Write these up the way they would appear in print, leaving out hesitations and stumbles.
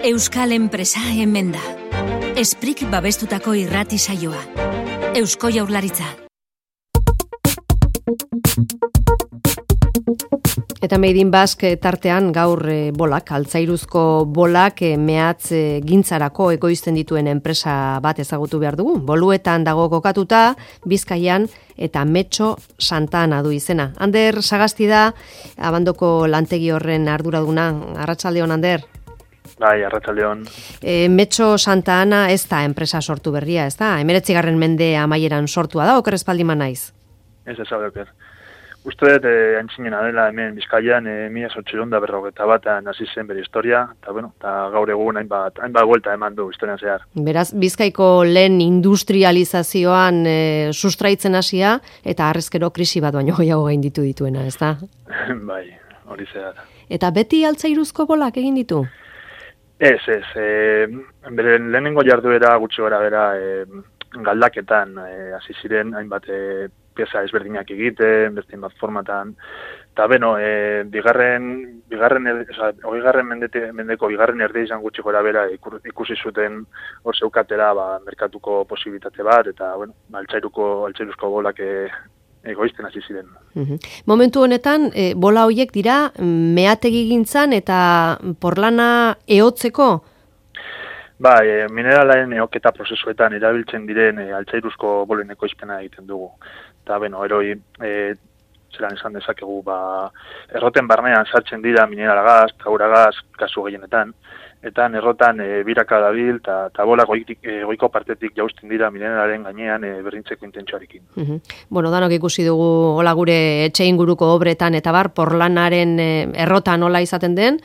Euskal enpresa hemen da. Esprik babestutako irrati saioa. Eusko Jaurlaritza. Eta Made in Basque tartean gaur bolak, altzairuzko bolak mehatz gintzarako ekoizten dituen enpresa bat ezagutu behar dugu. Boluetan dago kokatuta, Bizkaian eta Metxo Santa Ana du izena. Ander Sagasti da, Abandoko lantegi horren arduraduna. Arratsaldeon, Ander. Bai, arratsaldeon. Metxo Santa Ana ez da enpresa sortu berria, ez da? 19. mende amaieran sortua da, oker espaldima naiz? Ez oker. Uste dut, antzinena dela hemen Bizkaian, 1851 hasi zen bere historia, eta gaur egun hainbat buelta eman du historian zehar. Beraz, Bizkaiko lehen industrializazioan sustraitzen hasia, eta harrezkero krisi bat baino gehiago gainditu dituena, ez da? Bai, hori zehar. Eta beti altzairuzko bolak egin ditu? Ez. Bere lehenengo jarduera gutxi gara bera galdaketan hasi ziren hainbat pieza ezberdinak egiten, beste bat formatan. Eta mendeko bigarren erde izan gutxi gora bera ikusi zuten hor zeukatera merkatuko posibilitate bat, eta altzairuzko bolak egoizten hasi ziren. Momentu honetan, bola horiek dira meategi gintzan eta porlana ehotzeko? Bai, mineralaren eoketa prozesuetan erabiltzen diren altzairuzko bolen ekoizpena egiten dugu. Eta, eroi, zelan esan dezakegu, erroten barnean sartzen dira mineralagaz, tauragaz, kasu gehienetan, eta errotan biraka dabil, eta bola goiko partetik jausten dira mineralaren gainean berdintzeko intentsuarekin. Danok ikusi dugu hola gure etxe inguruko obretan, eta porlanaren errotan hola izaten den,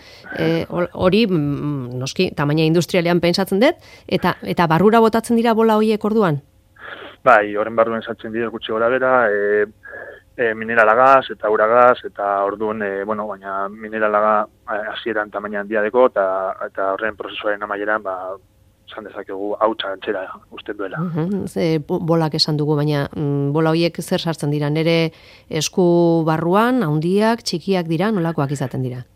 hori, noski, tamaina industrialean pentsatzen dut, eta barrura botatzen dira bola horiek orduan? Bai, horren barruen sartzen dira gutxi gora bera, mineralagaz eta uragaz, eta orduan, baina mineralaga hasieran tamaina handia deko, eta horren prozesuaren amaieran, esan dezakegu hautsa antzera usten duela. Bolak esan dugu, baina bola horiek zer sartzen dira? Nere esku barruan, handiak, txikiak dira, nolakoak izaten dira?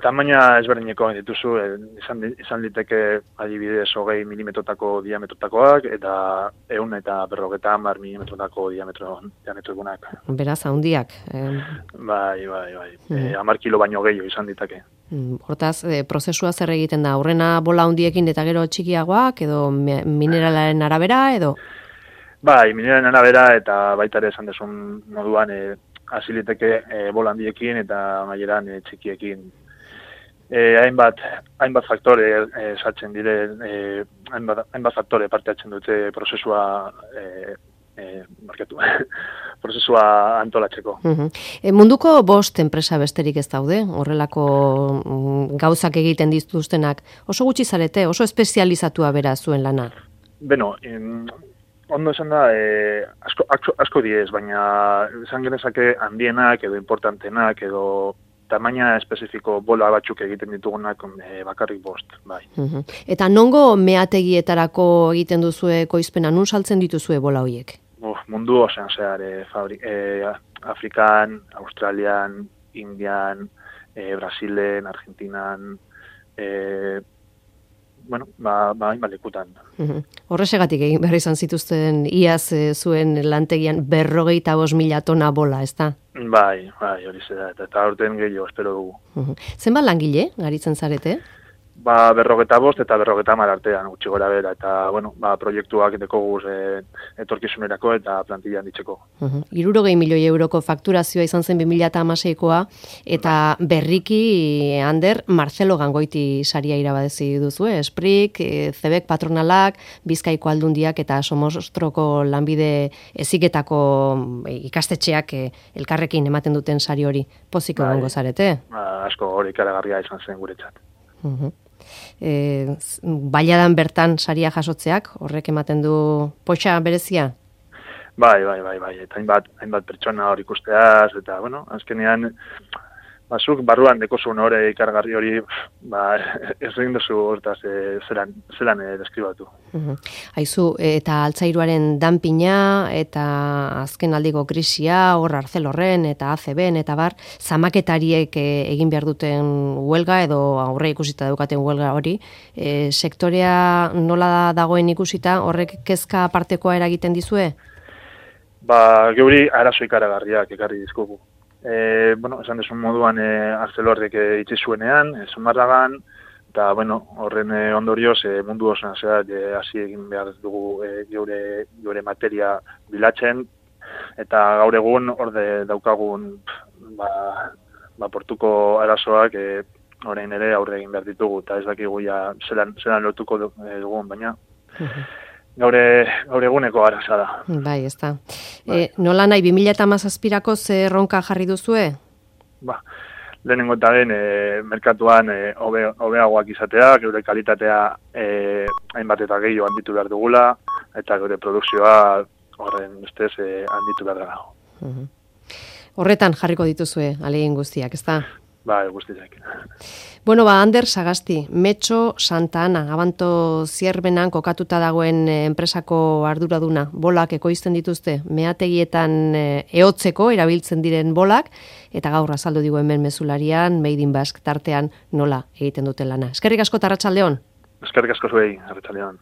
Tamaina ezberdineko dituzu, izan liteke adibidez 20 milimetrotako diametrotakoak, eta 150 milimetrotako diametroegunak. Beraz, handiak. Bai. 10 kilo baino gehiago izan ditake. Hortaz, prozesua zer egiten da? Aurrena bola handiekin eta gero txikiagoak, edo mineralaren arabera, edo? Bai, mineralaren arabera, eta baita ere esan desun moduan hasi liteke bola handiekin eta amaieran txikiekin. Hainbat faktore sartzen dire, hainbat faktore parte hartzen dute prozesua prozesua antolatzeko. Munduko 5 enpresa besterik ez daude, horrelako gauzak egiten dituztenak. Oso gutxi zarete, oso espezializatua bera zuen lana? Ondo esan da, asko diez, baina esan genezake handienak edo importantenak edo tamaina espezifiko bola batzuk egiten ditugunak bakarrik 5, bai. Eta nongo meategietarako egiten duzue ekoizpena, nun saltzen dituzue bola horiek? Mundu osean zehar, Afrikan, Australian, Indian, Brasilen, Argentinan, lekutan. Horresegatik egin behar izan zituzten iaz zuen lantegian 45.000 tona bola, ez da? Bai, hori zera, eta aurten gehiago espero dugu. Zenbat langile, garitzen zarete? 45 eta 50 artean gutxi gora bera, eta, proiektuak dekoguz etorkizunerako eta plantillan ditzeko. 60 milioi euroko fakturazioa izan zen 2016koa, eta berriki, Ander, Marcelo Gangoiti saria irabadezi duzu, Esprik, Zebek patronalak, Bizkaiko aldundiak eta Somostroko lanbide heziketako ikastetxeak elkarrekin ematen duten sari hori. Poziko gongo zarete? Asko hori ikaragarria izan zen guretzat. Bailadan bertan saria jasotzeak, horrek ematen du potxa berezia? Bai, eta hainbat pertsona hor ikusteaz, eta, azkenean, zuk barruan dekozun hori ikargarri hori, ez egin duzu hortaz zelan deskribatu. Aizu, eta altzairuaren danpina, eta azken aldiko krisia, hor Arcelorren, eta ACBen, eta bar, zamaketariek egin behar duten huelga, edo aurre ikusita daukaten huelga hori, sektorea nola dagoen ikusita, horrek kezka partekoa eragiten dizue? Geuri arazo ikaragarriak ekarri dizkugu. Esan desun moduan Arcelorrek itxi zuenean, Zumarragan, eta horren ondorioz mundu osoan hasi egin behar dugu geure materia bilatzen, eta gaur egun orde daukagun portuko arazoak orain ere aurre egin behar ditugu, eta ez dakigu ja zelan lotuko dugun, baina gaur eguneko araza da. Bai, ez da. Nola nahi, 2017ko ze erronka jarri duzue? Lehenengo eta den merkatuan hobeagoak izatea, geure kalitatea hainbat eta gehiago handitu behar dugula, eta geure produkzioa horren ustez handitu behar dago. Horretan jarriko dituzue, alegin guztiak, ez da? Guztiak. Ander Sagasti, Metxo Santa Ana, Abanto Zierbenan kokatuta dagoen enpresako arduraduna, bolak ekoizten dituzte, meategietan ehotzeko erabiltzen diren bolak, eta gaur azaldu digu hemen mezularian, Made in Basque tartean nola egiten duten lana. Eskerrik asko eta arratsaldeon. Eskerrik asko zuei, arratsaldeon.